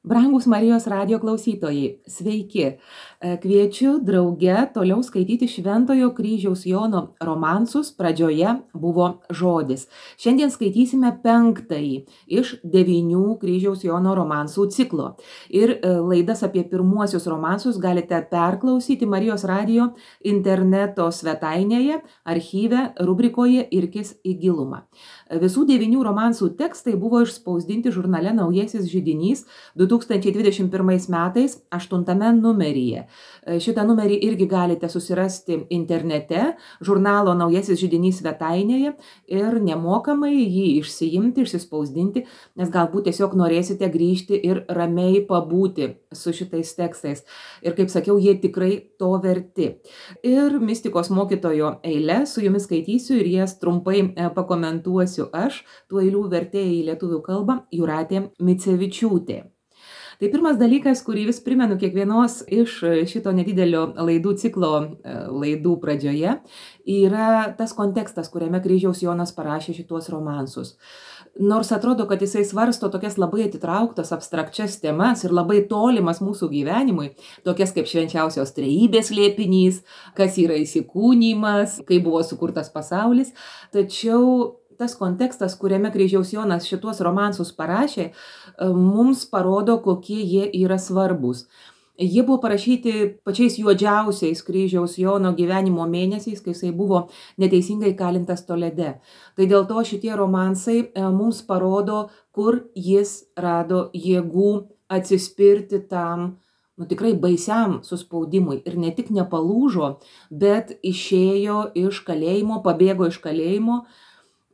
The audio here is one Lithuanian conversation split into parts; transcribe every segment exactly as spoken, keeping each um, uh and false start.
Brangus Marijos radijo klausytojai, sveiki. E, Kviečiu drauge toliau skaityti Šventojo kryžiaus Jono romansus. Pradžioje buvo žodis. Šiandien skaitysime penktąjį iš devynių kryžiaus Jono romansų ciklo. Ir e, laidas apie pirmuosius romansus galite perklausyti Marijos radijo interneto svetainėje, archyve, rubrikoje Irkis į gilumą. Visų devynių romansų tekstai buvo išspausdinti žurnale Naujasis židinys du tūkstančiai dvidešimt pirmais metais aštuntame numeryje. Šitą numerį irgi galite susirasti internete, žurnalo Naujasis židinys svetainėje ir nemokamai jį išsiimti, išsispausdinti, nes galbūt tiesiog norėsite grįžti ir ramiai pabūti su šitais tekstais. Ir kaip sakiau, jie tikrai to verti. Ir mistikos mokytojo eilę su jumis skaitysiu ir jas trumpai pakomentuosiu aš, tų eilių vertėja į lietuvių kalbą Jūratė Micevičiūtė. Tai pirmas dalykas, kurį vis primenu kiekvienos iš šito nedidelio laidų ciklo laidų pradžioje, yra tas kontekstas, kuriame kryžiaus Jonas parašė šituos romansus. Nors atrodo, kad jisai svarsto tokias labai atitrauktas, abstrakčias temas ir labai tolimas mūsų gyvenimui, tokias kaip švenčiausios trejybės slėpinys, kas yra įsikūnymas, kaip buvo sukurtas pasaulis, tačiau tas kontekstas, kuriame kryžiaus Jonas šituos romansus parašė, mums parodo, kokie jie yra svarbus. Jie buvo parašyti pačiais juodžiausiais kryžiaus Jono gyvenimo mėnesiais, kai jisai buvo neteisingai kalintas Tolede. Tai dėl to šitie romansai mums parodo, kur jis rado jėgų atsispirti tam, nu tikrai baisiam suspaudimui. Ir ne tik nepalūžo, bet išėjo iš kalėjimo, pabėgo iš kalėjimo,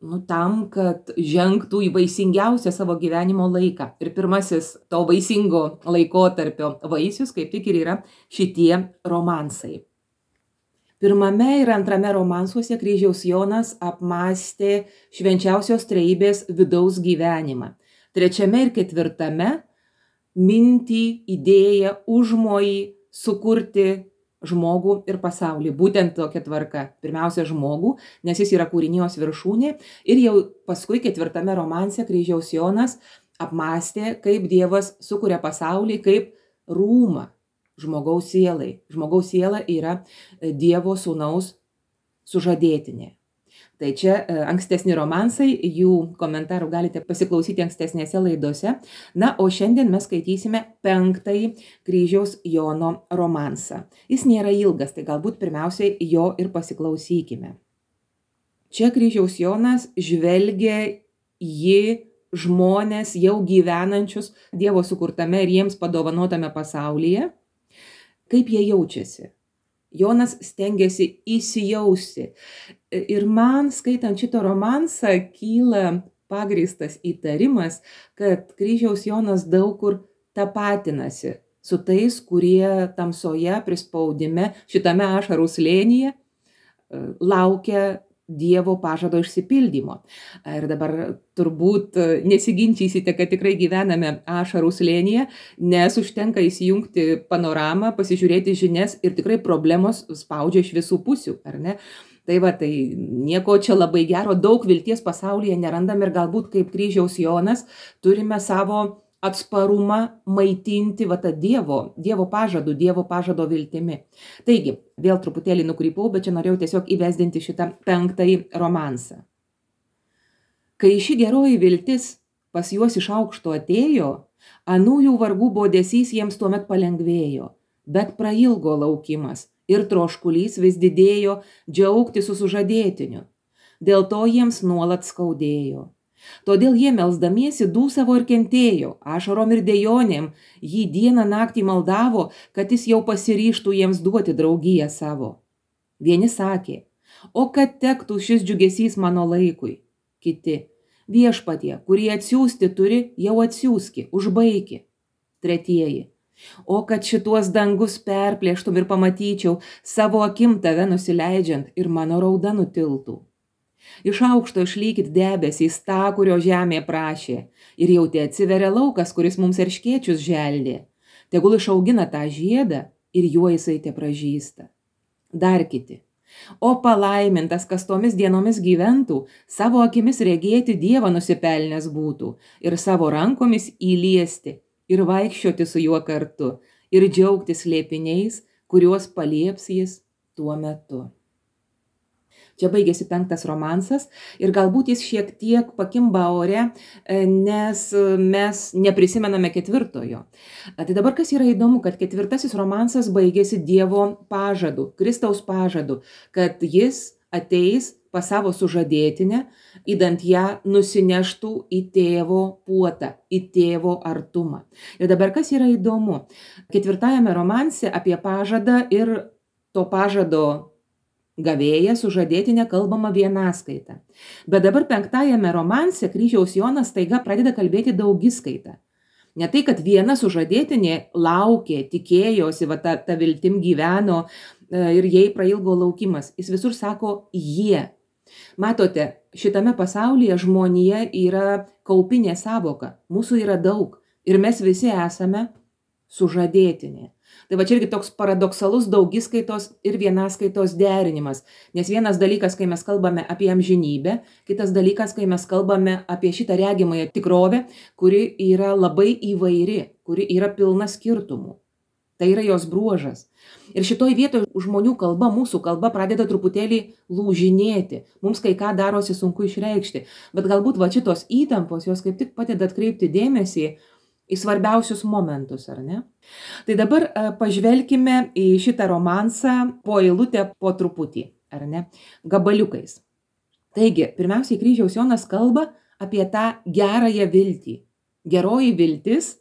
nu, tam, kad žengtų į vaisingiausią savo gyvenimo laiką. Ir pirmasis to vaisingo laikotarpio vaisius kaip tik ir yra šitie romansai. Pirmame ir antrame romansuose kryžiaus Jonas apmąstė švenčiausios trejybės vidaus gyvenimą. Trečiame ir ketvirtame mintį, idėją, užmojį sukurti žmogų ir pasaulį. Būtent tokia tvarka. Pirmiausia žmogų, nes jis yra kūrinijos viršūnė. Ir jau paskui ketvirtame romanse kryžiaus Jonas apmąstė, kaip Dievas sukuria pasaulį kaip rūmą žmogaus sielai. Žmogaus siela yra Dievo sūnaus sužadėtinė. Tai čia ankstesni romansai, jų komentarų galite pasiklausyti ankstesnėse laidose. Na, o šiandien mes skaitysime penktąjį kryžiaus Jono romansą. Jis nėra ilgas, tai galbūt pirmiausiai jo ir pasiklausykime. Čia kryžiaus Jonas žvelgia į žmones jau gyvenančius Dievo sukurtame ir jiems padovanotame pasaulyje, kaip jie jaučiasi. Jonas stengiasi įsijausti. Ir man, skaitant šitą romansą, kyla pagrįstas įtarimas, kad kryžiaus Jonas daug kur tapatinasi su tais, kurie tamsoje, prispaudime, šitame ašarų slėnyje laukia Dievo pažado išsipildymo. Ir dabar turbūt nesiginčysite, kad tikrai gyvename ašarų slėnyje, nes užtenka įsijungti panoramą, pasižiūrėti žinias ir tikrai problemos spaudžia iš visų pusių, ar ne? Tai va, tai nieko čia labai gero, daug vilties pasaulyje nerandam ir galbūt kaip kryžiaus Jonas turime savo atsparumą maitinti va tą Dievo, Dievo pažadų, Dievo pažado viltimi. Taigi, vėl truputėlį nukrypau, bet čia norėjau tiesiog įvesdinti šitą penktąjį romansą. Kai ši geroji viltis pas juos iš aukšto atėjo, anųjų vargų bodesys jiems tuomet palengvėjo, bet prailgo laukimas ir troškulys vis didėjo džiaugti su sužadėtiniu. Dėl to jiems nuolat skaudėjo. Todėl jie melsdamiesi dūsavo ir kentėjo, ašarom ir dejonėm, jį dieną naktį maldavo, kad jis jau pasiryžtų jiems duoti draugiją savo. Vieni sakė, o kad tektų šis džiugesys mano laikui. Kiti, viešpatie, kurį atsiųsti turi, jau atsiųski, užbaiki. Tretieji, o kad šituos dangus perplėštum ir pamatyčiau, savo akim tave nusileidžiant ir mano rauda nutiltų. Iš aukšto išlykit debesys tą, kurio žemė prašė, ir jau te atsiveria laukas, kuris mums erškėčius želdė. Tegul išaugina tą žiedą ir juo jisai te pražįsta. Dar kiti. O palaimintas, kas tomis dienomis gyventų, savo akimis regėti Dievą nusipelnęs būtų ir savo rankomis įliesti ir vaikščioti su juo kartu, ir džiaugtis slėpiniais, kuriuos palieps jis tuo metu. Čia baigėsi penktas romansas ir galbūt jis šiek tiek pakimba ore, nes mes neprisimename ketvirtojo. Tai dabar kas yra įdomu, kad ketvirtasis romansas baigėsi Dievo pažadu, Kristaus pažadu, kad jis ateis pas savo sužadėtinę, idant ją nusineštų į tėvo puotą, į tėvo artumą. Ir dabar kas yra įdomu, ketvirtajame romanse apie pažadą ir to pažado gavėja sužadėtinė kalbama vienaskaita. Bet dabar penktajame romanse Kryžiaus Jonas staiga pradeda kalbėti daugiskaita. Ne tai, kad viena sužadėtinė laukė, tikėjosi, va, ta, ta viltim gyveno ir jai prailgo laukimas. Jis visur sako jie. Matote, šitame pasaulyje žmonija yra kaupinė savoka. Mūsų yra daug ir mes visi esame sužadėtinė. Tai va čia irgi toks paradoksalus daugiskaitos ir vienaskaitos derinimas. Nes vienas dalykas, kai mes kalbame apie amžinybę, kitas dalykas, kai mes kalbame apie šitą regimąją tikrovę, kuri yra labai įvairi, kuri yra pilna skirtumų. Tai yra jos bruožas. Ir šitoj vietoje žmonių kalba, mūsų kalba pradeda truputėlį lūžinėti. Mums kai ką darosi sunku išreikšti. Bet galbūt va šitos įtampos, jos kaip tik padeda atkreipti dėmesį į svarbiausius momentus, ar ne? Tai dabar pažvelkime į šitą romansą po eilutę, po truputį, ar ne? Gabaliukais. Taigi, pirmiausiai Kryžiaus Jonas kalba apie tą gerąją viltį. Geroji viltis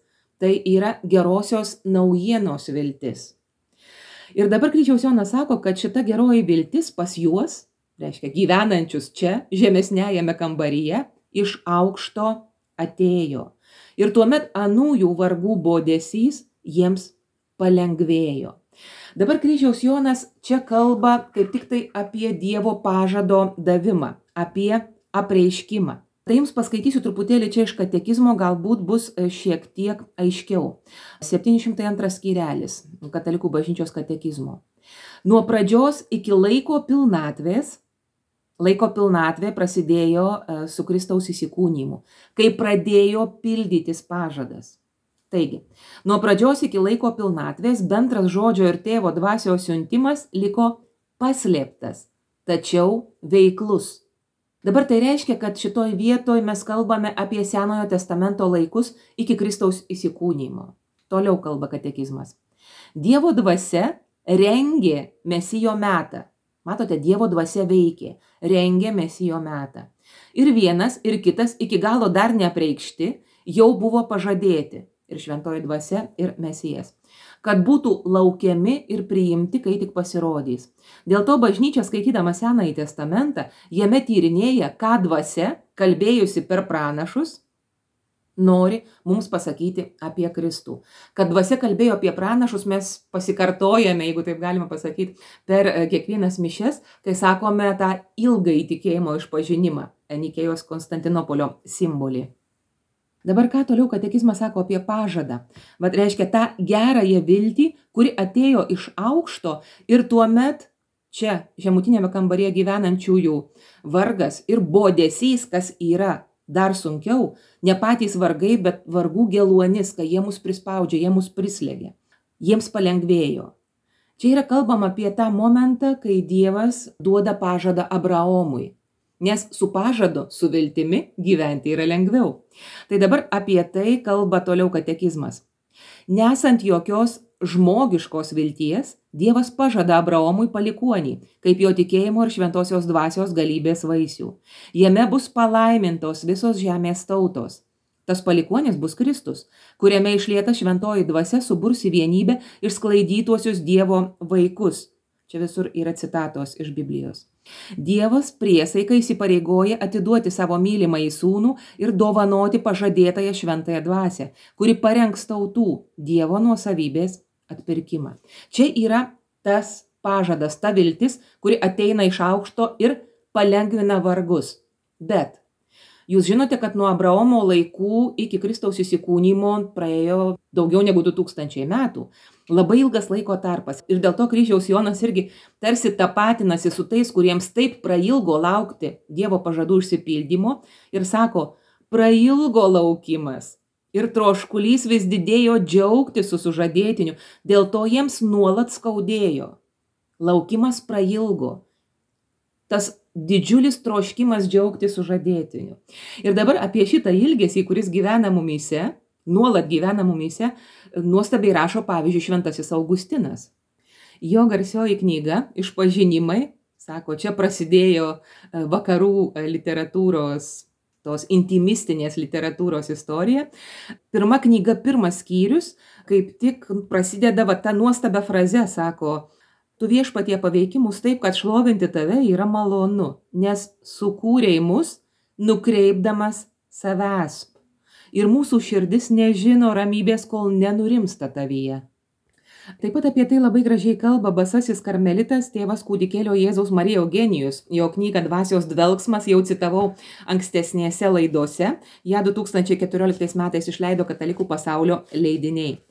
tai yra gerosios naujienos viltis. Ir dabar Kryžiaus Jonas sako, kad šita geroji viltis pas juos, reiškia gyvenančius čia, žemesnėjame kambaryje, iš aukšto atėjo. Ir tuomet anųjų vargų bodesys jiems palengvėjo. Dabar Kryžiaus Jonas čia kalba kaip tik tai apie Dievo pažado davimą, apie apreiškimą. Tai jums paskaitysiu truputėlį čia iš katekizmo, galbūt bus šiek tiek aiškiau. septyni šimtai antras skyrelis Katalikų bažnyčios katekizmo. Nuo pradžios iki laiko pilnatvės, laiko pilnatvė prasidėjo su Kristaus įsikūnijimu, kai pradėjo pildytis pažadas. Taigi, nuo pradžios iki laiko pilnatvės bendras žodžio ir tėvo dvasios siuntimas liko paslėptas, tačiau veiklus. Dabar tai reiškia, kad šitoj vietoj mes kalbame apie Senojo testamento laikus iki Kristaus įsikūnijimo. Toliau kalba katekizmas. Dievo dvasia rengė Mesijo metą. Matote, Dievo dvasia veikė, rengė Mesijo metą. Ir vienas, ir kitas iki galo dar neapreikšti, jau buvo pažadėti. Ir šventoji dvasia, ir Mesijas. Kad būtų laukiami ir priimti, kai tik pasirodys. Dėl to bažnyčia, skaitydama Senąjį testamentą, jame tyrinėja, ką dvasia, kalbėjusi per pranašus, nori mums pasakyti apie Kristų. Kad dvasia kalbėjo apie pranašus, mes pasikartojame, jeigu taip galima pasakyti, per kiekvienas mišes, kai sakome tą ilgą įtikėjimo išpažinimą, Enikėjos Konstantinopolio simbolį. Dabar ką toliau katekizmas sako apie pažadą? Vat reiškia tą gerąją viltį, kuri atėjo iš aukšto ir tuomet čia žemutinėme kambaryje gyvenančiųjų vargas ir bodesys, kas yra dar sunkiau, ne patys vargai, bet vargų geluonis, kai jie mus prispaudžia, jie mus prislėgia. Jiems palengvėjo. Čia yra kalbama apie tą momentą, kai Dievas duoda pažadą Abraomui. Nes su pažadu, su viltimi gyventi yra lengviau. Tai dabar apie tai kalba toliau katekizmas. Nesant jokios žmogiškos vilties, Dievas pažada Abraomui palikuonį, kaip jo tikėjimo ir šventosios dvasios galybės vaisių. Jame bus palaimintos visos žemės tautos. Tas palikuonis bus Kristus, kuriame išlieta šventoji dvasia suburs į vienybę išsklaidytuosius Dievo vaikus. Čia visur yra citatos iš Biblijos. Dievas priesaika įsipareigoja atiduoti savo mylimąjį sūnų ir dovanoti pažadėtąją šventąją dvasią, kuri parengs tautų Dievo nuosavybės atpirkimą. Čia yra tas pažadas, ta viltis, kuri ateina iš aukšto ir palengvina vargus. Bet jūs žinote, kad nuo Abraomo laikų iki Kristaus įsikūnijimo praėjo daugiau negu du tūkstančiai metų. Labai ilgas laiko tarpas. Ir dėl to Kryžiaus Jonas irgi tarsi tapatinasi su tais, kuriems taip prailgo laukti Dievo pažadų išsipildymo ir sako, prailgo laukimas. ir troškulys vis didėjo džiaugtis su sužadėtiniu, dėl to jiems nuolat skaudėjo. Laukimas prailgo. Tas didžiulis troškimas džiaugtis sužadėtiniu. Ir dabar apie šitą ilgesį, kuris gyvena mumyse, nuolat gyvena mumyse, nuostabiai rašo pavyzdžiui šventasis Augustinas. Jo garsioji knyga Išpažinimai, sako, čia prasidėjo vakarų literatūros, tos intimistinės literatūros istorija. Pirma knyga, pirmas skyrius, kaip tik prasideda va ta nuostabia fraze, sako, tu viešpatie paveiki mus taip, kad šlovinti tave yra malonu, nes sukūrei mus, nukreipdamas savęs. Ir mūsų širdis nežino ramybės, kol nenurimsta tavyje. Taip pat apie tai labai gražiai kalba basasis karmelitas tėvas kūdikėlio Jėzaus Marija Eugenijus. Jo knygą Dvasios dvelksmas jau citavau ankstesnėse laidose. Ja du tūkstančiai keturioliktais metais išleido Katalikų pasaulio leidiniai.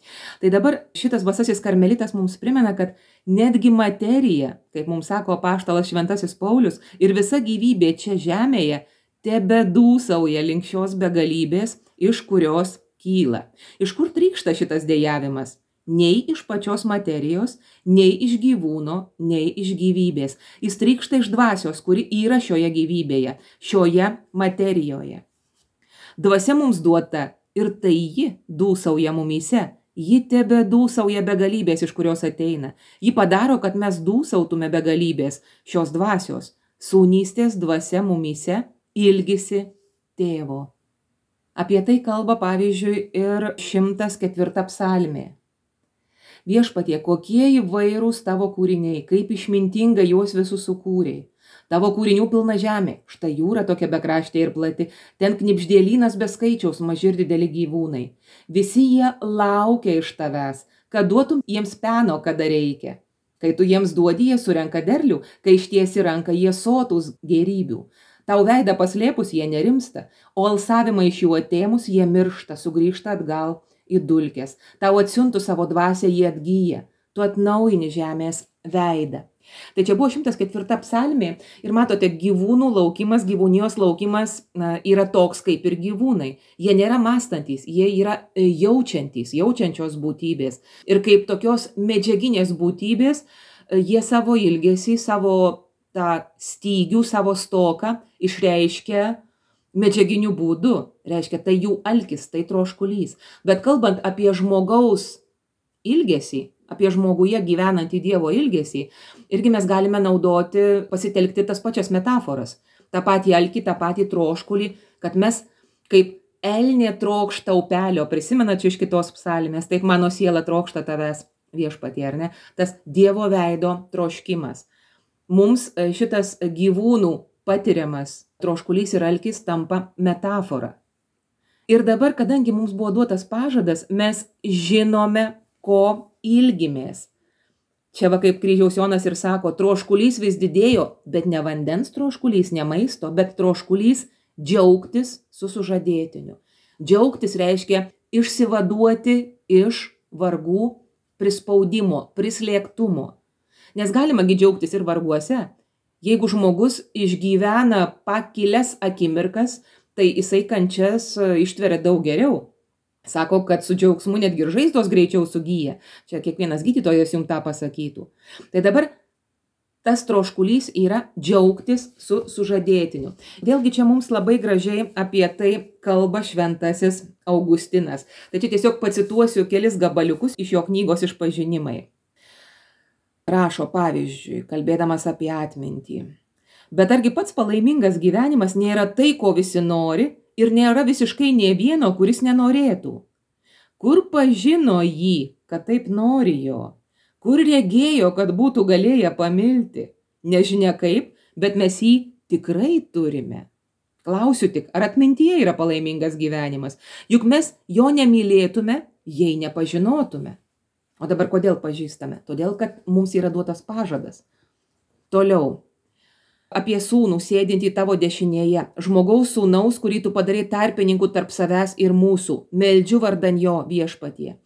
Tai dabar šitas basasis karmelitas mums primena, kad netgi materija, kaip mums sako apaštalas šventasis Paulius, ir visa gyvybė čia žemėje tebedūsauja link šios begalybės, iš kurios kyla. Iš kur trykšta šitas dejavimas? Nei iš pačios materijos, nei iš gyvūno, nei iš gyvybės. Jis trykšta iš dvasios, kuri yra šioje gyvybėje, šioje materijoje. Dvasia mums duota ir tai ji dūsauja mumyse. Ji tebe dūsauja begalybės, iš kurios ateina. Ji padaro, kad mes dūsautume begalybės šios dvasios. Sūnystės dvasia mumyse ilgisi tėvo. Apie tai kalba pavyzdžiui ir šimtas ketvirta psalmė. Viešpatie, kokie įvairūs tavo kūriniai, kaip išmintingai juos visus sukūrei. Tavo kūrinių pilna žemė, štai jūra tokia bekraštė ir plati, ten knibždėlynas be skaičiaus, maži ir dideli gyvūnai. Visi jie laukia iš tavęs, kad duotum jiems peno, kada reikia. Kai tu jiems duodi, jie surenka derlių, kai ištiesi ranką, jie sotus gėrybių. Tau veidą paslėpus, jie nerimsta, o alsavimą iš jų atėmus, jie miršta, sugrįžta atgal į dulkes. Tau atsiuntus savo dvasią, jie atgyja. Tu atnaujini žemės veidą. Tai čia buvo šimtas ketvirta psalmė ir matote, gyvūnų laukimas, gyvūnijos laukimas na, yra toks kaip ir gyvūnai. Jie nėra mąstantys, jie yra jaučiantys, jaučiančios būtybės. Ir kaip tokios medžiaginės būtybės, jie savo ilgesį, savo tą stygių, savo stoką išreiškia medžiaginiu būdu. Reiškia, tai jų alkis, tai troškulys. Bet kalbant apie žmogaus ilgesį, apie žmoguje gyvenantį Dievo ilgesį, irgi mes galime naudoti, pasitelkti tas pačias metaforas. Ta patį alkį, tą patį troškulį, kad mes kaip elnė trokšta upelio, prisimenat iš kitos psalmės, taip mano siela trokšta tavęs viešpatie, ar ne? Tas Dievo veido troškimas. Mums šitas gyvūnų patiriamas troškulys ir alkis tampa metafora. Ir dabar, kadangi mums buvo duotas pažadas, mes žinome, ko ilgimės. Čia va kaip kryžiaus Jonas ir sako, troškulys vis didėjo, bet ne vandens troškulys, ne maisto, bet troškulys džiaugtis su sužadėtiniu. Džiaugtis reiškia išsivaduoti iš vargų prispaudimo, prislėgtumo. Nes galima gi džiaugtis ir varguose. Jeigu žmogus išgyvena pakilias akimirkas, tai jisai kančias ištveria daug geriau. Sako, kad su džiaugsmu netgi ir žaizdos greičiau sugyja. Čia kiekvienas gydytojas jums tą pasakytų. Tai dabar tas troškulys yra džiaugtis su sužadėtiniu. Vėlgi čia mums labai gražiai apie tai kalba šventasis Augustinas. Tai čia tiesiog pacituosiu kelis gabaliukus iš jo knygos Išpažinimai. Rašo pavyzdžiui, kalbėdamas apie atmintį. Bet argi pats palaimingas gyvenimas nėra tai, ko visi nori, ir nėra visiškai nė vieno, kuris nenorėtų. Kur pažino jį, kad taip nori jo? Kur regėjo, kad būtų galėję pamilti? Nežinia kaip, bet mes jį tikrai turime. Klausiu tik, ar atmintyje yra palaimingas gyvenimas? Juk mes jo nemylėtume, jei nepažinotume. O dabar kodėl pažįstame? Todėl, kad mums yra duotas pažadas. Toliau. Apie sūnų sėdintį tavo dešinėje, žmogaus sūnaus, kurį tu padarai tarpininku tarp savęs ir mūsų. Meldžiu vardan jo viešpatie.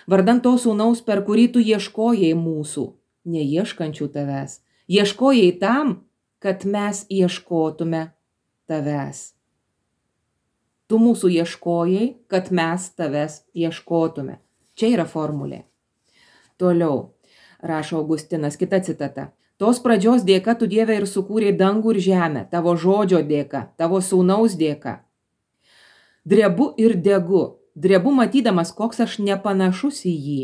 Vardan to sūnaus, per kurį tu ieškojai mūsų, neieškančių tavęs. Ieškojai tam, kad mes ieškotume tavęs. Tu mūsų ieškojai, kad mes tavęs ieškotume. Čia yra formulė. Toliau rašo Augustinas, kita citata. Tos pradžios dėka tu, Dieve, ir sukūrei dangų ir žemę, tavo žodžio dėka, tavo sūnaus dėka. Drebu ir degu. Drebu matydamas, koks aš nepanašus į jį.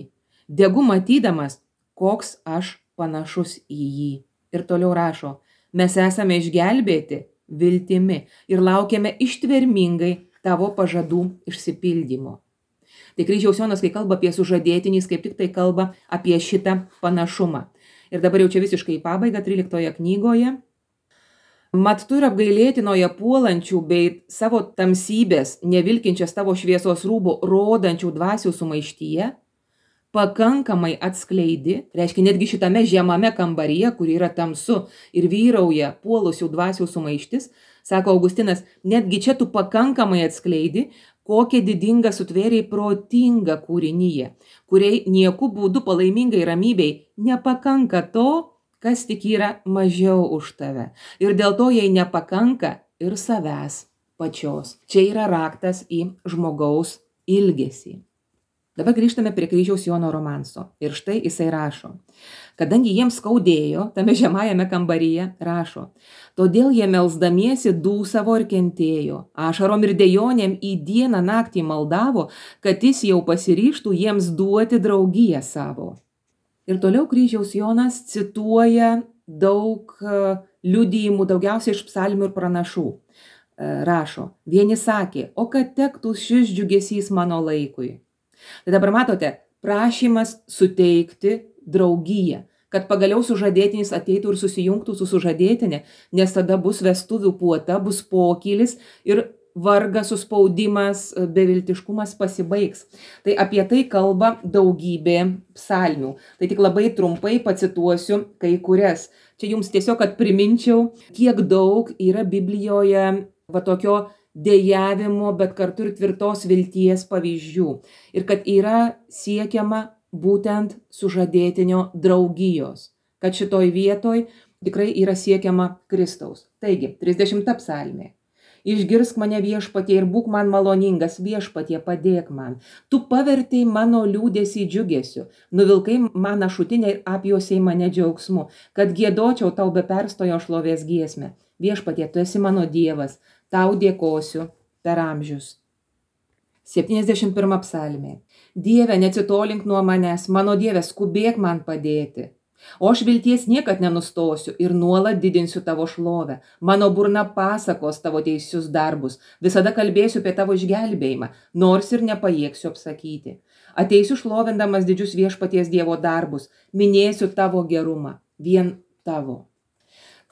Degu matydamas, koks aš panašus į jį. Ir toliau rašo, mes esame išgelbėti viltimi ir laukiame ištvermingai tavo pažadų išsipildymo. Tai Kryžiaus Jonas, kai kalba apie sužadėtinį, kaip tik tai kalba apie šitą panašumą. Ir dabar jau čia visiškai į pabaigą, tryliktoje knygoje. Mat tu ir apgailėtinoje puolančių bei savo tamsybės, nevilkinčias tavo šviesos rūbų, rodančių dvasių sumaištyje, pakankamai atskleidi, reiškia netgi šitame žemame kambaryje, kur yra tamsu ir vyrauja puolusių dvasių sumaištis, sako Augustinas, netgi čia tu pakankamai atskleidi, kokią didingą sutvėriai protingą kūrinyje, kuriai nieku būdu palaimingai ramybei nepakanka to, kas tik yra mažiau už tave. Ir dėl to jai nepakanka ir savęs pačios. Čia yra raktas į žmogaus ilgesį. Dabar grįžtame prie Kryžiaus Jono romanso. Ir štai jisai rašo. Kadangi jiems skaudėjo, tame žemajame kambaryje rašo. Todėl jie melsdamiesi dūsavo ir kentėjo. Ašarom ir dejonėm į dieną naktį maldavo, kad jis jau pasiryžtų jiems duoti draugiją savo. Ir toliau Kryžiaus Jonas cituoja daug liudijimų, daugiausiai iš psalmių ir pranašų. Rašo, vieni sakė, o kad tektų šis džiugesys mano laikui. Tai dabar matote, prašymas suteikti draugiją, kad pagaliau sužadėtinis ateitų ir susijungtų su sužadėtinė, nes tada bus vestuvių puota, bus pokylis ir vargas, suspaudimas, beviltiškumas pasibaigs. Tai apie tai kalba daugybė psalmių. Tai tik labai trumpai pacituosiu kai kurias. Čia jums tiesiog, kad priminčiau, kiek daug yra Biblijoje va tokio dejavimo, bet kartu ir tvirtos vilties pavyzdžių. Ir kad yra siekiama būtent sužadėtinio draugijos. Kad šitoj vietoj tikrai yra siekiama Kristaus. Taigi, trisdešimta psalmė. Išgirsk mane viešpatie ir būk man maloningas, viešpatie padėk man. Tu pavertei mano liūdėsį džiugesiu, nuvilkai man ašutinę ir apjuosiai mane džiaugsmu, kad giedočiau tau be perstojo šlovės giesmę. Viešpatie, tu esi mano Dievas, tau dėkosiu per amžius. septyniasdešimt pirma psalmė. Dieve, neatsitolink nuo manęs, mano Dieve, skubėk man padėti. O aš vilties niekad nenustosiu ir nuolat didinsiu tavo šlovę. Mano burna pasakos tavo teisius darbus. Visada kalbėsiu apie tavo išgelbėjimą, nors ir nepajėgsiu apsakyti. Ateisiu šlovindamas didžius viešpaties Dievo darbus. Minėsiu tavo gerumą, vien tavo.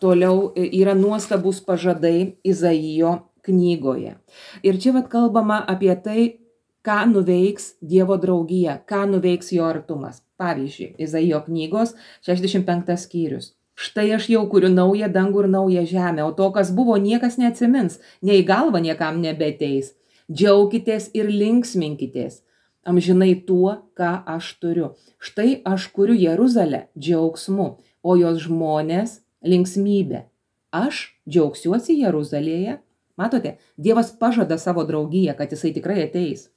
Toliau yra nuostabus pažadai Izaijo knygoje. Ir čia vat kalbama apie tai, ką nuveiks Dievo draugija, ką nuveiks jo artumas. Pavyzdžiui, Izaijo knygos šešiasdešimt penktas skyrius. Štai aš jau kuriu naują dangų ir naują žemę, o to, kas buvo, niekas neatsimins, nei galva niekam nebeteis. Džiaukitės ir linksminkitės, amžinai tuo, ką aš turiu. Štai aš kuriu Jeruzalę džiaugsmu, o jos žmonės linksmybė. Aš džiaugsiuosi Jeruzalėje. Matote, Dievas pažada savo draugiją, kad jisai tikrai ateis.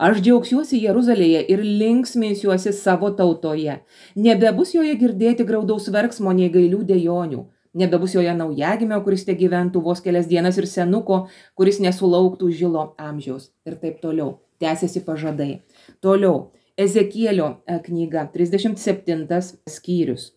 Aš džiaugsiuosi Jeruzalėje ir linksminsiuosi savo tautoje. Nebebus joje girdėti graudaus verksmo, nei gailių dejonių. Nebebus joje naujagimio, kuris te gyventų vos kelias dienas, ir senuko, kuris nesulauktų žilo amžiaus. Ir taip toliau. Tęsiasi pažadai. Toliau. Ezekielio knyga, trisdešimt septintas skyrius.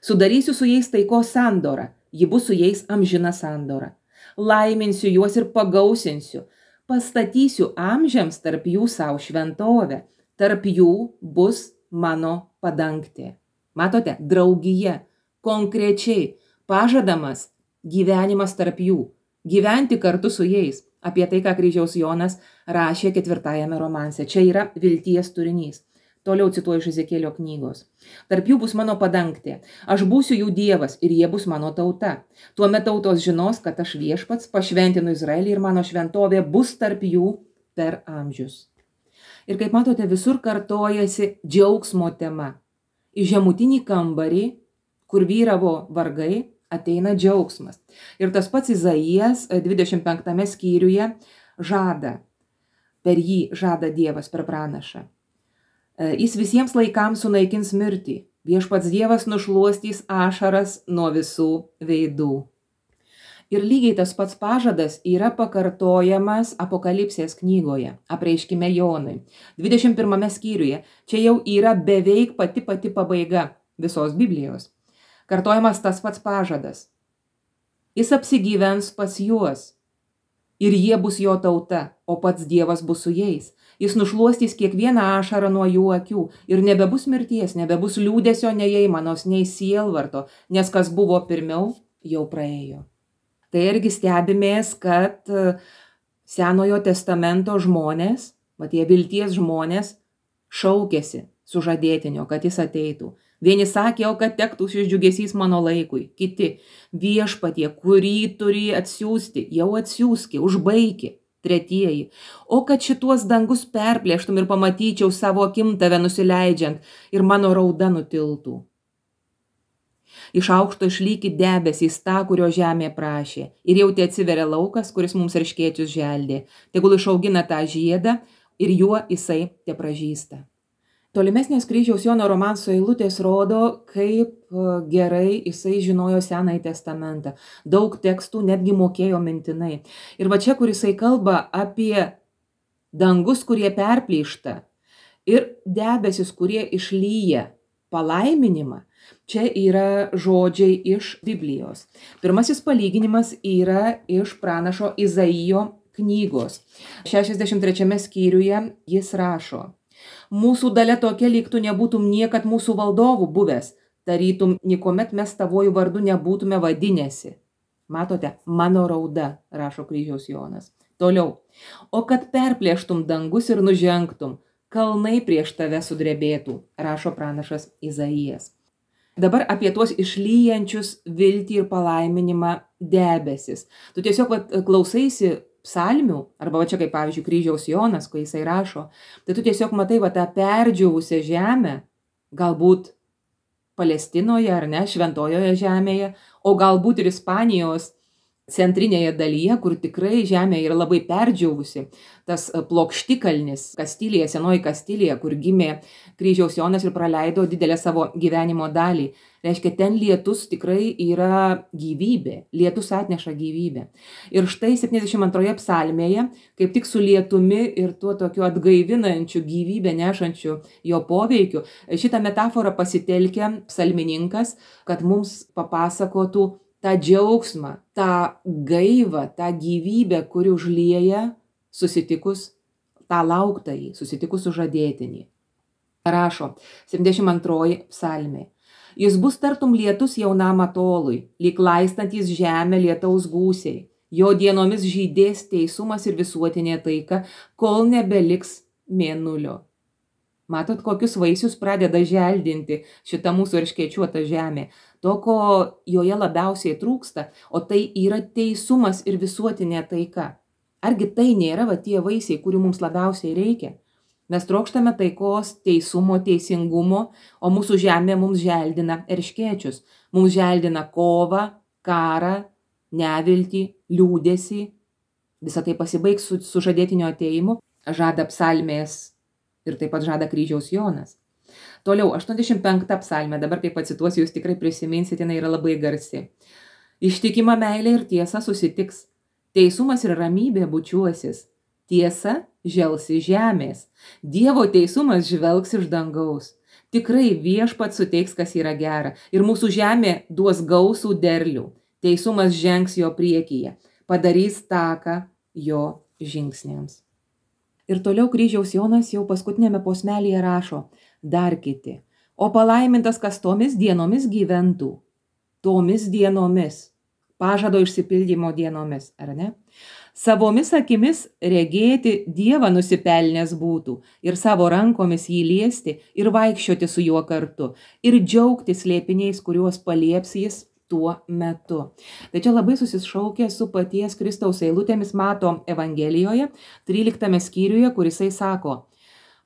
Sudarysiu su jais taikos sandorą. Ji bus su jais amžina sandora. Laiminsiu juos ir pagausinsiu. Pastatysiu amžiams tarp jų savo šventovę. Tarp jų bus mano padangtė. Matote, draugija, konkrečiai pažadamas gyvenimas tarp jų. Gyventi kartu su jais. Apie tai, ką Kryžiaus Jonas rašė ketvirtajame romanse. Čia yra vilties turinys. Toliau cituoju iš Ezekielio knygos. Tarp jų bus mano padangtė. Aš būsiu jų Dievas ir jie bus mano tauta. Tuomet tautos žinos, kad aš viešpats pašventinu Izraelį ir mano šventovė bus tarp jų per amžius. Ir kaip matote, visur kartojasi džiaugsmo tema. Į žemutinį kambarį, kur vyravo vargai, ateina džiaugsmas. Ir tas pats Izaijas dvidešimt penktame skyriuje žada, per jį žada Dievas per pranašą. Jis visiems laikams sunaikins mirtį, viešpats Dievas nušluostys ašaras nuo visų veidų. Ir lygiai tas pats pažadas yra pakartojamas Apokalipsės knygoje, apreiškime Jonui, dvidešimt pirmame skyriuje. Čia jau yra beveik pati pati pabaiga visos Biblijos. Kartojamas tas pats pažadas. Jis apsigyvens pas juos ir jie bus jo tauta, o pats Dievas bus su jais. Jis nušluostys kiekvieną ašarą nuo jų akių ir nebebus mirties, nebebus liūdesio, nei aimanos, nei sielvarto, nes kas buvo pirmiau, jau praėjo. Tai irgi stebimės, kad Senojo testamento žmonės, va tie vilties žmonės, šaukėsi sužadėtinio, kad jis ateitų. Vieni sakė, o kad tektų šis džiugesys mano laikui. Kiti, viešpatie, kurį turi atsiųsti, jau atsiųski, užbaiki. Tretieji, o kad šituos dangus perplėštum ir pamatyčiau savo akim tave nusileidžiant ir mano rauda nutiltų. Iš aukšto išlykit debesys tą, kurio žemė prašė, ir jau te atsiveria laukas, kuris mums erškėčius želdė. Tegul išaugina tą žiedą ir juo jisai te pražįsta. Tolimesnės kryžiaus Jono romanso eilutės rodo, kaip gerai jisai žinojo Senąjį testamentą. Daug tekstų netgi mokėjo mintinai. Ir va čia, kur jisai kalba apie dangus, kurie perplyšta, ir debesis, kurie išlyja palaiminimą, čia yra žodžiai iš Biblijos. Pirmasis palyginimas yra iš pranašo Izaijo knygos. šešiasdešimt trečiame skyriuje jis rašo: Mūsų dalia tokia, lyg tu nebūtum niekad mūsų valdovų buvęs, tarytum nikomet mes tavojų vardu nebūtume vadinėsi. Matote, mano rauda, rašo kryžiaus Jonas. Toliau. O kad perplėštum dangus ir nužengtum, kalnai prieš tave sudrebėtų, rašo pranašas Izaijas. Dabar apie tuos išlyjančius viltį ir palaiminimą debesis. Tu tiesiog vat, klausaisi psalmių, arba va čia kaip pavyzdžiui kryžiaus Jonas, kai jisai rašo, tai tu tiesiog matai va tą perdžiūvusią žemę, galbūt Palestinoje ar ne, šventojoje žemėje, o galbūt ir Ispanijos centrinėje dalyje, kur tikrai žemė yra labai perdžiūvusi. Tas plokštikalnis Kastilija, senoji Kastilija, kur gimė kryžiaus Jonas ir praleido didelę savo gyvenimo dalį. Reiškia, ten lietus tikrai yra gyvybė, lietus atneša gyvybę. Ir štai septyniasdešimt antroje psalmėje, kaip tik su lietumi ir tuo tokiu atgaivinančiu gyvybę nešančiu jo poveikiu, šitą metaforą pasitelkia psalmininkas, kad mums papasakotų tą džiaugsmą, tą gaivą, tą gyvybę, kuri užlieja susitikus tą lauktąjį, susitikus sužadėtinį. Rašo septyniasdešimt antroji psalmė. Jis bus tartum lietus jaunam atolui, lyg laistantis žemę lietaus gūsiai. Jo dienomis žydės teisumas ir visuotinė taika, kol nebeliks mėnulio. Matot, kokius vaisius pradeda želdinti šitą mūsų erškėčiuotą žemę. To, ko joje labiausiai trūksta, o tai yra teisumas ir visuotinė taika. Argi tai nėra va tie vaisiai, kurių mums labiausiai reikia? Mes trokštame taikos, teisumo, teisingumo, o mūsų žemė mums želdina erškėčius. Mums želdina kovą, karą, neviltį, liūdesį. Visą tai pasibaigs su sužadėtinio atėjimu, žada psalmės ir taip pat žada kryžiaus Jonas. Toliau, aštuoniasdešimt penkta psalmė, dabar kai pacituosiu, jūs tikrai prisiminsite, jinai yra labai garsi. Ištikima meilė ir tiesa susitiks, teisumas ir ramybė bučiuosis, tiesa želsi žemės, Dievo teisumas žvelgs iš dangaus. Tikrai viešpats suteiks, kas yra gera, ir mūsų žemė duos gausų derlių, teisumas žengs jo priekyje, padarys taką jo žingsniams. Ir toliau kryžiaus Jonas jau paskutinėme posmelyje rašo, dar kiti, o palaimintas, kas tomis dienomis gyventų, tomis dienomis, pažado išsipildymo dienomis, ar ne? Savomis akimis regėti Dievą nusipelnęs būtų ir savo rankomis jį liesti ir vaikščioti su juo kartu ir džiaugtis slėpiniais, kuriuos palieps jis tuo metu. Tai čia labai susišaukia su paties Kristaus eilutėmis mato Evangelijoje, tryliktame skyriuje, kur jisai sako,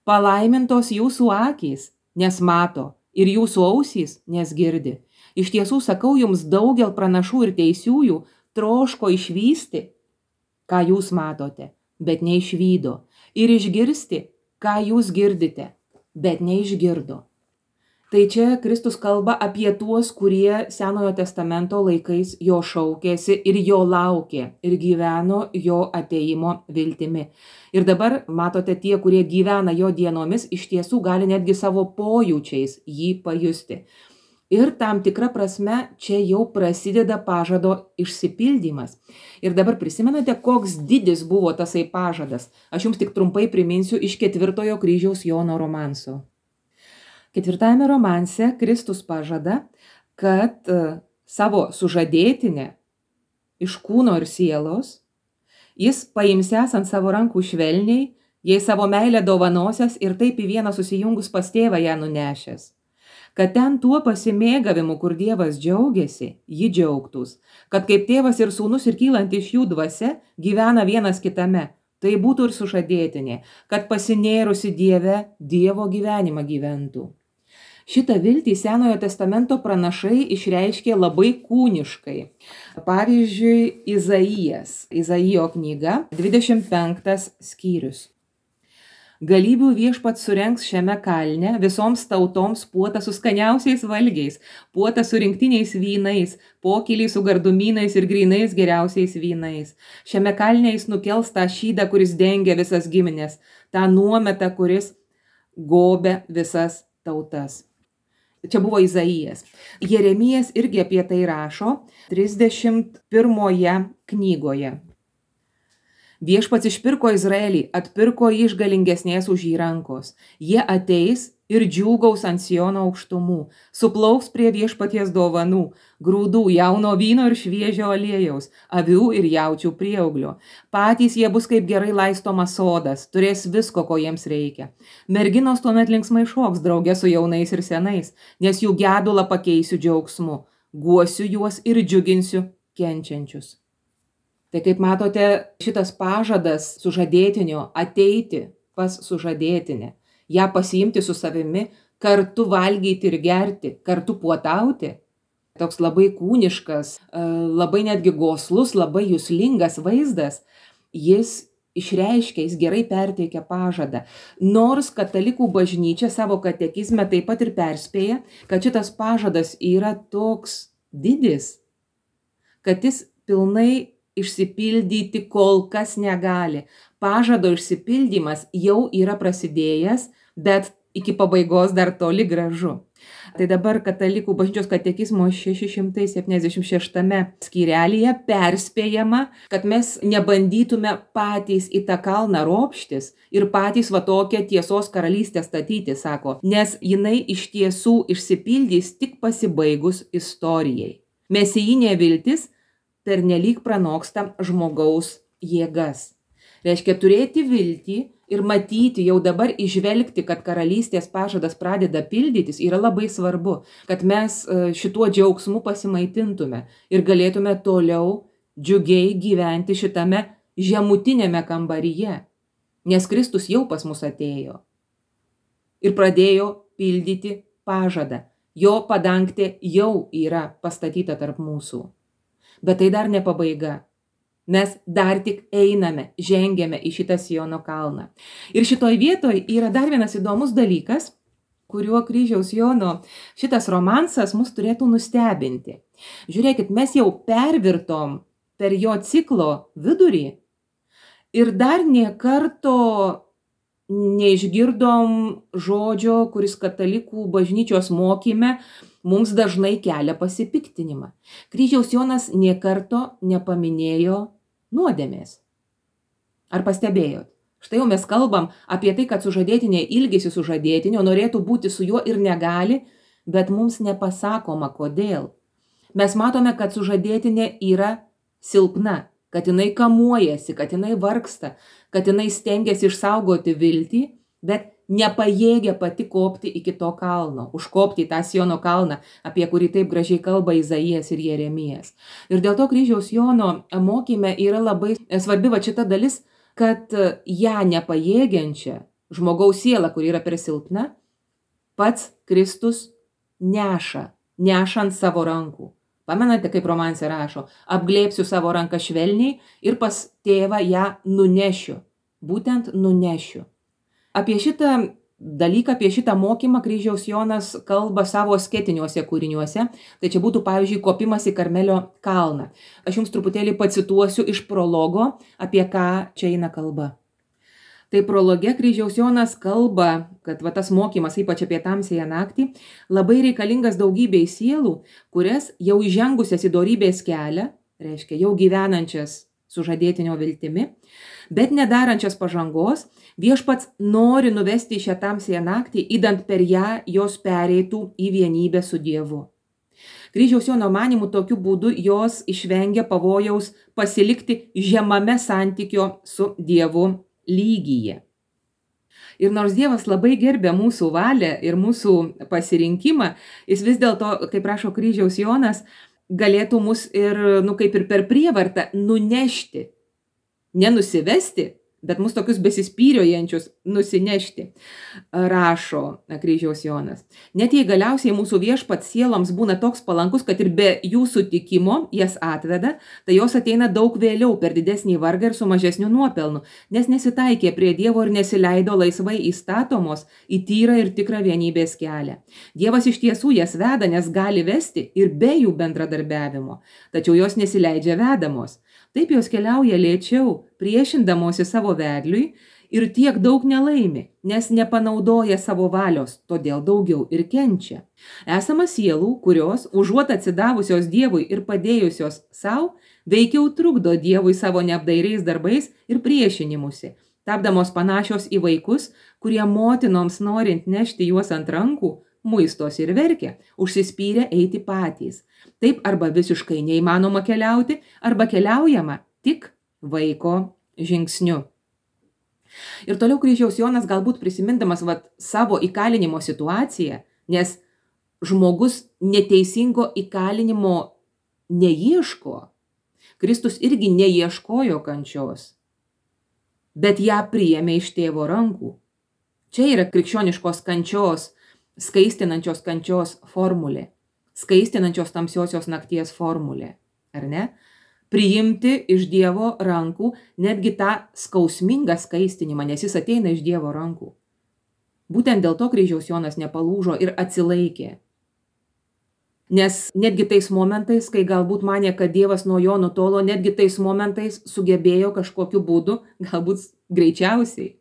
palaimintos jūsų akys, nes mato, ir jūsų ausys, nes girdi. Iš tiesų sakau jums, daugel pranašų ir teisiųjų troško išvysti, ką jūs matote, bet neišvydo, ir išgirsti, ką jūs girdite, bet neišgirdo. Tai čia Kristus kalba apie tuos, kurie Senojo testamento laikais jo šaukėsi ir jo laukė ir gyveno jo ateimo viltimi. Ir dabar, matote, tie, kurie gyvena jo dienomis, iš tiesų gali netgi savo pojūčiais jį pajusti. Ir tam tikra prasme čia jau prasideda pažado išsipildymas. Ir dabar prisimenate, koks didis buvo tasai pažadas. Aš jums tik trumpai priminsiu iš ketvirtojo kryžiaus Jono romanso. Ketvirtajame romanse Kristus pažada, kad savo sužadėtinę iš kūno ir sielos jis paimsęs ant savo rankų švelniai, jai savo meilę dovanosias ir taip į vieną susijungus pas tėvą ją nunešęs. Kad ten tuo pasimėgavimu, kur Dievas džiaugiasi, ji džiaugtųs, kad kaip tėvas ir sūnus ir kylant iš jų dvasia gyvena vienas kitame, tai būtų ir sužadėtinė, kad pasinėrusi Dieve, Dievo gyvenimą gyventų. Šitą viltį Senojo testamento pranašai išreiškė labai kūniškai. Pavyzdžiui, Izaijas, Izaijo knyga, dvidešimt penktas skyrius. Galybių viešpats surengs šiame kalne visoms tautoms puotą su skaniausiais valgiais, puotą su rinktiniais vynais, pokylį su gardumynais ir grynais geriausiais vynais. Šiame kalne jis nukels tą šydą, kuris dengia visas giminės, tą nuometą, kuris gobia visas tautas. Čia buvo Izaijas. Jeremijas irgi apie tai rašo trisdešimt pirmoje knygoje. Viešpats išpirko Izraelį, atpirko jį iš galingesnės už jį rankos. Jie ateis ir džiūgaus ant Siono aukštumų, suplauks prie viešpaties dovanų, grūdų, jauno vyno ir šviežio aliejaus, avių ir jaučių prieauglio. Patys jie bus kaip gerai laistomas sodas, turės visko, ko jiems reikia. Merginos tuomet linksmai šoks drauge su jaunais ir senais, nes jų gedulą pakeisiu džiaugsmu, guosiu juos ir džiuginsiu kenčiančius. Tai kaip matote, šitas pažadas sužadėtinio ateiti pas sužadėtinę, ją pasiimti su savimi, kartu valgyti ir gerti, kartu puotauti. Toks labai kūniškas, labai netgi goslus, labai juslingas vaizdas, jis išreiškia, jis gerai perteikia pažadą. Nors katalikų bažnyčia savo katekizme taip pat ir perspėja, kad šitas pažadas yra toks didis, kad jis pilnai išsipildyti kol kas negali. Pažado išsipildymas jau yra prasidėjęs, bet iki pabaigos dar toli gražu. Tai dabar katalikų bažnyčios katekizmo šeši šimtai septyniasdešimt šeštame skyrelyje perspėjama, kad mes nebandytume patys į tą kalną ropštis ir patys va tokią tiesos karalystę statyti, sako, nes jinai iš tiesų išsipildys tik pasibaigus istorijai. Mesijinė viltis pernelyg pranoksta žmogaus jėgas. Reiškia turėti viltį ir matyti, jau dabar įžvelgti, kad karalystės pažadas pradeda pildytis, yra labai svarbu, kad mes šituo džiaugsmu pasimaitintume ir galėtume toliau džiugiai gyventi šitame žemutinėme kambaryje, nes Kristus jau pas mus atėjo ir pradėjo pildyti pažadą. Jo padangtė jau yra pastatyta tarp mūsų. Bet tai dar ne pabaiga. Mes dar tik einame, žengiame į šitą Siono kalną. Ir šitoj vietoj yra dar vienas įdomus dalykas, kuriuo kryžiaus Jono šitas romansas mus turėtų nustebinti. Žiūrėkit, mes jau pervirtom per jo ciklo vidurį ir dar nė karto neišgirdom žodžio, kuris katalikų bažnyčios mokyme mums dažnai kelia pasipiktinimą. Kryžiaus Jonas nė karto nepaminėjo nuodėmės. Ar pastebėjot? Štai jau mes kalbam apie tai, kad sužadėtinė ilgisi sužadėtinio, norėtų būti su juo ir negali, bet mums nepasakoma, kodėl. Mes matome, kad sužadėtinė yra silpna, kad jinai kamuojasi, kad jinai vargsta, kad jinai stengiasi išsaugoti viltį, bet nepajėgia pati kopti iki to kalno, užkopti į tą Siono kalną, apie kurį taip gražiai kalba Izaijas ir Jeremijas. Ir dėl to kryžiaus Jono mokyme yra labai svarbi va šita dalis, kad ją nepajėgiančią žmogaus sielą, kuri yra per silpna, pats Kristus neša nešant savo rankų. Pamenate, kaip romanse rašo, apglėpsiu savo ranką švelniai ir pas tėvą ją nunešiu. Būtent nunešiu. Apie šitą dalyką, apie šitą mokymą kryžiaus Jonas kalba savo asketiniuose kūriniuose. Tai čia būtų, pavyzdžiui, kopimas į Karmelio kalną. Aš jums truputėlį pacituosiu iš prologo, apie ką čia eina kalba. Tai prologe kryžiaus Jonas kalba, kad va, tas mokymas, ypač apie tamsiąją naktį, labai reikalingas daugybei sielų, kurias jau įžengusias į dorybės kelią, reiškia jau gyvenančias sužadėtinio viltimi, bet nedarančias pažangos, viešpats nori nuvesti į šią tamsiąją naktį, įdant per ją jos pereitų į vienybę su Dievu. Kryžiaus Jono manymu tokiu būdu jos išvengia pavojaus pasilikti žemame santykio su Dievu lygyje. Ir nors Dievas labai gerbė mūsų valią ir mūsų pasirinkimą, jis vis dėlto, kaip rašo kryžiaus Jonas, galėtų mus ir, nu, kaip ir per prievartą nunešti, nenusivesti, bet mus tokius besispyriojančius nusinešti, rašo kryžiaus Jonas. Net jei galiausiai mūsų viešpats sieloms būna toks palankus, kad ir be jų sutikimo jas atveda, tai jos ateina daug vėliau per didesnį vargą ir su mažesniu nuopelnu, nes nesitaikė prie Dievo ir nesileido laisvai įstatomos į tyrą ir tikrą vienybės kelią. Dievas iš tiesų jas veda, nes gali vesti ir be jų bendradarbiavimo, tačiau jos nesileidžia vedamos. Taip jos keliauja lėčiau, priešindamosi savo vedliui ir tiek daug nelaimi, nes nepanaudoja savo valios, todėl daugiau ir kenčia. Esama sielų, kurios, užuot atsidavusios Dievui ir padėjusios savo, veikiau trukdo Dievui savo neapdairiais darbais ir priešinimusi, tapdamos panašios į vaikus, kurie motinoms norint nešti juos ant rankų, muistos ir verkia, užsispyrę eiti patys. Taip arba visiškai neįmanoma keliauti, arba keliaujama tik vaiko žingsniu. Ir toliau kryžiaus Jonas galbūt prisimindamas vat, savo įkalinimo situaciją, nes žmogus neteisingo įkalinimo neieško. Kristus irgi neieškojo kančios, bet ją priėmė iš tėvo rankų. Čia yra krikščioniškos kančios, skaistinančios kančios formulė. Skaistinančios tamsiosios nakties formulė, ar ne? Priimti iš Dievo rankų netgi tą skausmingą skaistinimą, nes jis ateina iš Dievo rankų. Būtent dėl to kryžiaus Jonas nepalūžo ir atsilaikė. Nes netgi tais momentais, kai galbūt manė, kad Dievas nuo jo nutolo, netgi tais momentais sugebėjo kažkokiu būdu, galbūt greičiausiai,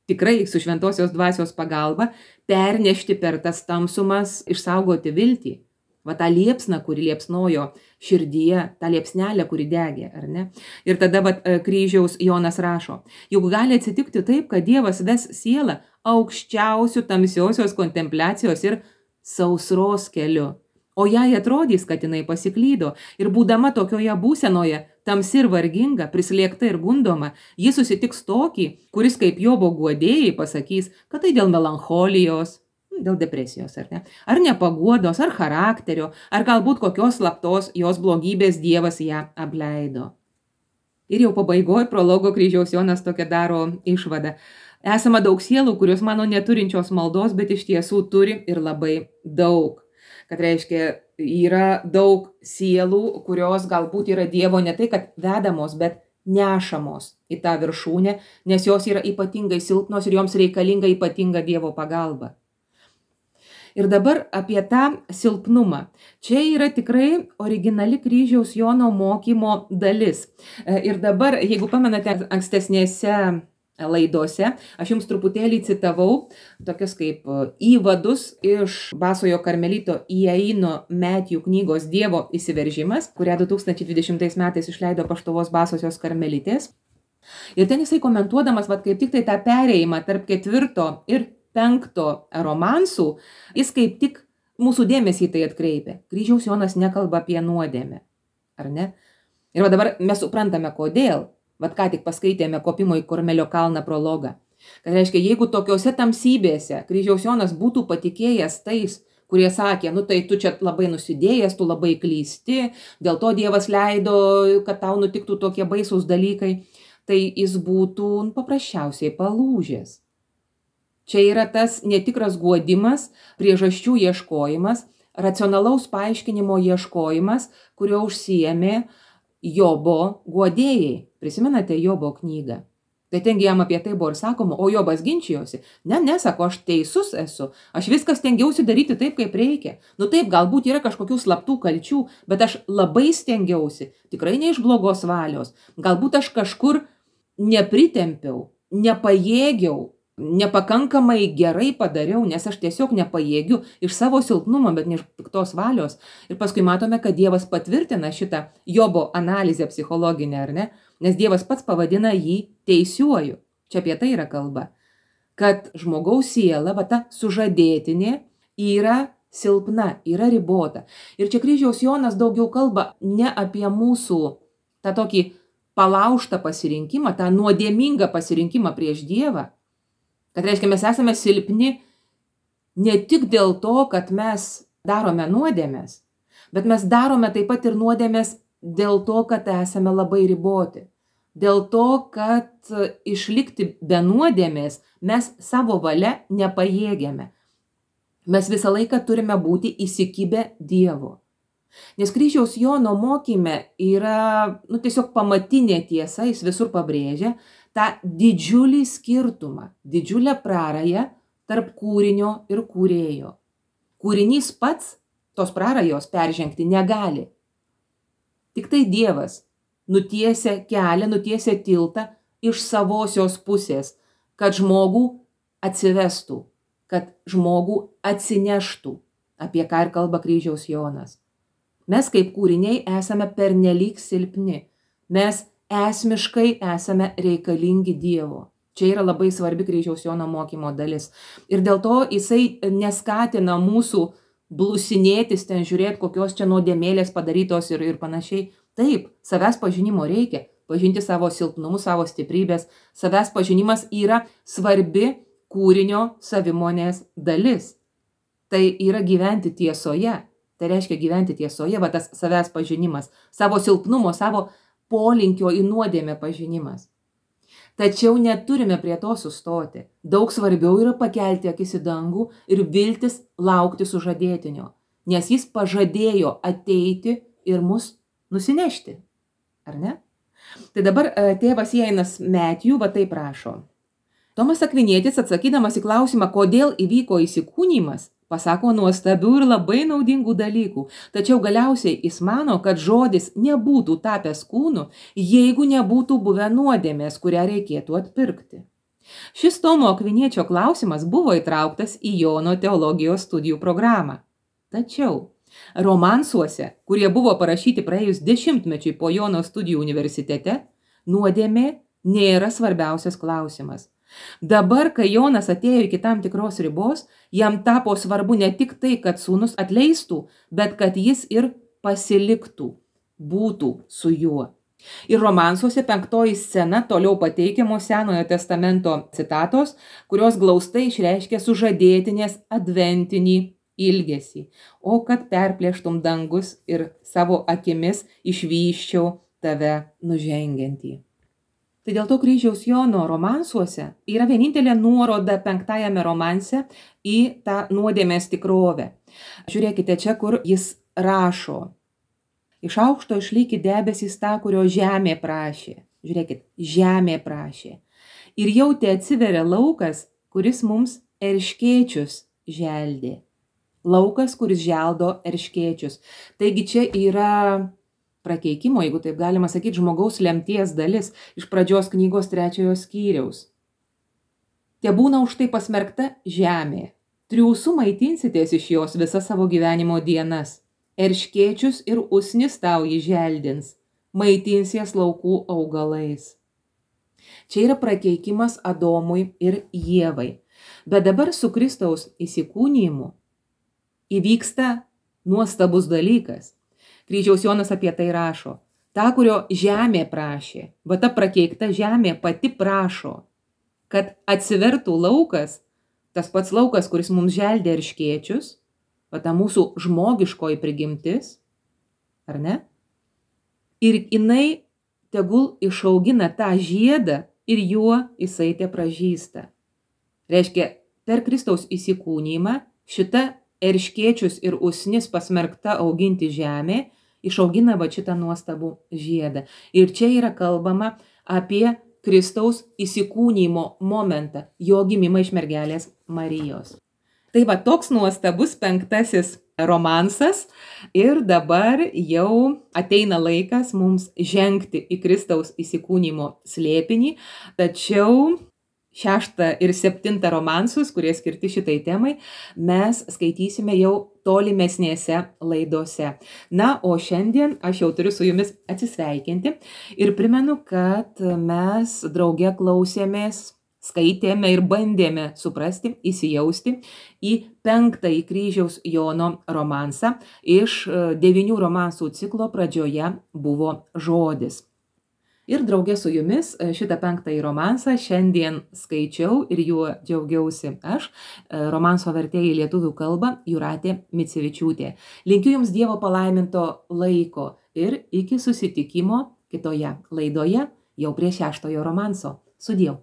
tikrai su šventosios dvasios pagalba, pernešti per tas tamsumas, išsaugoti viltį. Va tą liepsną, kuri liepsnojo širdyje, tą liepsnelę, kuri degė, ar ne? Ir tada va, kryžiaus Jonas rašo, juk gali atsitikti taip, kad Dievas ves sielą aukščiausių tamsiosios kontempliacijos ir sausros keliu. O jai atrodys, kad jinai pasiklydo ir būdama tokioje būsenoje, tamsi ir varginga, prislėgta ir gundoma, ji susitiks tokį, kuris kaip Jobo guodėjai pasakys, kad tai dėl melancholijos, dėl depresijos, ar ne? Ar nepaguodos, ar charakterio, ar galbūt kokios slaptos jos blogybės Dievas ją apleido. Ir jau pabaigoje prologo kryžiaus Jonas tokia daro išvadą. Esama daug sielų, kurios mano neturinčios maldos, bet iš tiesų turi ir labai daug. Kad reiškia, yra daug sielų, kurios galbūt yra Dievo ne tai, kad vedamos, bet nešamos į tą viršūnę, nes jos yra ypatingai silpnos ir joms reikalinga ypatinga Dievo pagalba. Ir dabar apie tą silpnumą. Čia yra tikrai originali kryžiaus Jono mokymo dalis. Ir dabar, jeigu pamenate ankstesnėse laidose, aš jums truputėlį citavau tokius kaip įvadus iš Basojo karmelito Iaino Metjų knygos Dievo įsiveržimas, kurią du tūkstančiai dvidešimtais metais išleido Paštuvos Basosios karmelitės. Ir ten jisai komentuodamas, vat, kaip tik tai tą perėjimą tarp ketvirto ir penkto romansų, jis kaip tik mūsų dėmesį tai atkreipia. Kryžiaus Jonas nekalba apie nuodėmę, ar ne? Ir va dabar mes suprantame, kodėl. Vat ką tik paskaitėme kopimo į Karmelio kalną prologą. Kad reiškia, jeigu tokiose tamsybėse kryžiaus Jonas būtų patikėjęs tais, kurie sakė, nu tai tu čia labai nusidėjęs, tu labai klysti, dėl to Dievas leido, kad tau nutiktų tokie baisūs dalykai, tai jis būtų paprasčiausiai palūžęs. Čia yra tas netikras guodimas, priežasčių ieškojimas, racionalaus paaiškinimo ieškojimas, kurio užsiėmė Jobo guodėjai. Prisimenate Jobo knygą? Tai tengi jam apie tai buvo ir sakoma, o Jobas ginčijosi. Ne, nesako, aš teisus esu, aš viską stengiausi daryti taip, kaip reikia. Nu taip, galbūt yra kažkokių slaptų kalčių, bet aš labai stengiausi, tikrai ne iš blogos valios. Galbūt aš kažkur nepritempiau, nepajėgiau, nepakankamai gerai padariau, nes aš tiesiog nepajėgiu iš savo silpnumo, bet ne iš piktos valios. Ir paskui matome, kad Dievas patvirtina šitą Jobo analizę psichologinę, ar ne? Nes Dievas pats pavadina jį teisiuoju. Čia apie tai yra kalba. Kad žmogaus siela, va ta sužadėtinė, yra silpna, yra ribota. Ir čia kryžiaus Jonas daugiau kalba ne apie mūsų tą tokį palaužtą pasirinkimą, tą nuodėmingą pasirinkimą prieš Dievą. Kad reiškia, mes esame silpni ne tik dėl to, kad mes darome nuodėmes, bet mes darome taip pat ir nuodėmes dėl to, kad esame labai riboti. Dėl to, kad išlikti be nuodėmės mes savo valia nepajėgiame. Mes visą laiką turime būti įsikibę Dievo. Nes kryžiaus Jono mokyme yra nu, tiesiog pamatinė tiesa, jis visur pabrėžia, tą didžiulį skirtumą, didžiulę prarają tarp kūrinio ir kūrėjo. Kūrinys pats tos prarajos peržengti negali. Tik tai Dievas nutiesia kelią, nutiesia tiltą iš savosios pusės, kad žmogų atsivestų, kad žmogų atsineštų, apie ką ir kalba kryžiaus Jonas. Mes kaip kūriniai esame pernelyg silpni. Mes esmiškai esame reikalingi Dievo. Čia yra labai svarbi kryžiaus Jono mokymo dalis. Ir dėl to jisai neskatina mūsų blusinėtis, ten žiūrėti, kokios čia nuodėmėlės padarytos ir, ir panašiai. Taip, savęs pažinimo reikia. Pažinti savo silpnumus, savo stiprybės. Savęs pažinimas yra svarbi kūrinio savimonės dalis. Tai yra gyventi tiesoje. Tai reiškia gyventi tiesoje, va tas savęs pažinimas, savo silpnumo, savo polinkio į nuodėmę pažinimas. Tačiau neturime prie to sustoti. Daug svarbiau yra pakelti akis į dangų ir viltis laukti sužadėtinio, nes jis pažadėjo ateiti ir mus nusinešti. Ar ne? Tai dabar tėvas Jainas Metijų va taip rašo. Tomas Akvinietis, atsakydamas į klausimą, kodėl įvyko įsikūnymas, pasako nuostabių ir labai naudingų dalykų, tačiau galiausiai jis mano, kad žodis nebūtų tapęs kūnu, jeigu nebūtų buvę nuodėmės, kurią reikėtų atpirkti. Šis Tomo Akviniečio klausimas buvo įtrauktas į Jono teologijos studijų programą. Tačiau romansuose, kurie buvo parašyti praėjus dešimtmečiui po Jono studijų universitete, nuodėmė nėra svarbiausias klausimas. Dabar, kai Jonas atėjo iki tam tikros ribos, jam tapo svarbu ne tik tai, kad sūnus atleistų, bet kad jis ir pasiliktų, būtų su juo. Ir romansuose penktoji scena toliau pateikiamos Senojo testamento citatos, kurios glaustai išreiškia sužadėtinės adventinį ilgesį. O kad perplėštum dangus ir savo akimis išvyščiau tave nužengiantį. Tai dėl to kryžiaus Jono romansuose yra vienintelė nuoroda penktajame romanse į tą nuodėmės tikrovę. Žiūrėkite čia, kur jis rašo. Iš aukšto išlyki debesys tą, kurio žemė prašė. Žiūrėkit, žemė prašė. Ir jau te atsiveria laukas, kuris mums erškėčius želdė. Laukas, kuris želdo erškėčius. Taigi čia yra prakeikimo, jeigu taip galima sakyti, žmogaus lemties dalis iš pradžios knygos trečiojo skyriaus. Te būna už tai pasmerkta žemė. Triūsų maitinsitės iš jos visas savo gyvenimo dienas. Erškėčius ir usnis tau jį želdins. Maitinsies laukų augalais. Čia yra prakeikimas Adomui ir Ievai. Bet dabar su Kristaus įsikūnijimu įvyksta nuostabus dalykas. Kryžiaus Jonas apie tai rašo. Ta, kurio žemė prašė, va ta prakeikta žemė pati prašo, kad atsivertų laukas, tas pats laukas, kuris mums želdė erškėčius, va ta mūsų žmogiškoji prigimtis, ar ne? Ir jinai tegul išaugina tą žiedą ir juo jisai te pražysta. Reiškia, per Kristaus įsikūnymą šita erškėčius ir usnis pasmerkta auginti žemė, išaugina va šitą nuostabų žiedą. Ir čia yra kalbama apie Kristaus įsikūnymo momentą, jo gimimą iš mergelės Marijos. Tai va toks nuostabus penktasis romansas ir dabar jau ateina laikas mums žengti į Kristaus įsikūnymo slėpinį, tačiau šeštą ir septintą romansus, kurie skirti šitai temai, mes skaitysime jau tolimesnėse laidose. Na, o šiandien aš jau turiu su jumis atsisveikinti ir primenu, kad mes drauge klausėmės, skaitėme ir bandėme suprasti, įsijausti į penktąjį Kryžiaus Jono romansą. Iš devynių romansų ciklo pradžioje buvo žodis. Ir drauge su jumis šitą penktąjį romansą šiandien skaičiau ir juo džiaugiausi aš, romanso vertėja į lietuvių kalbą Jūratė Micevičiūtė. Linkiu jums Dievo palaiminto laiko ir iki susitikimo kitoje laidoje jau prie šeštojo romanso. Sudieu.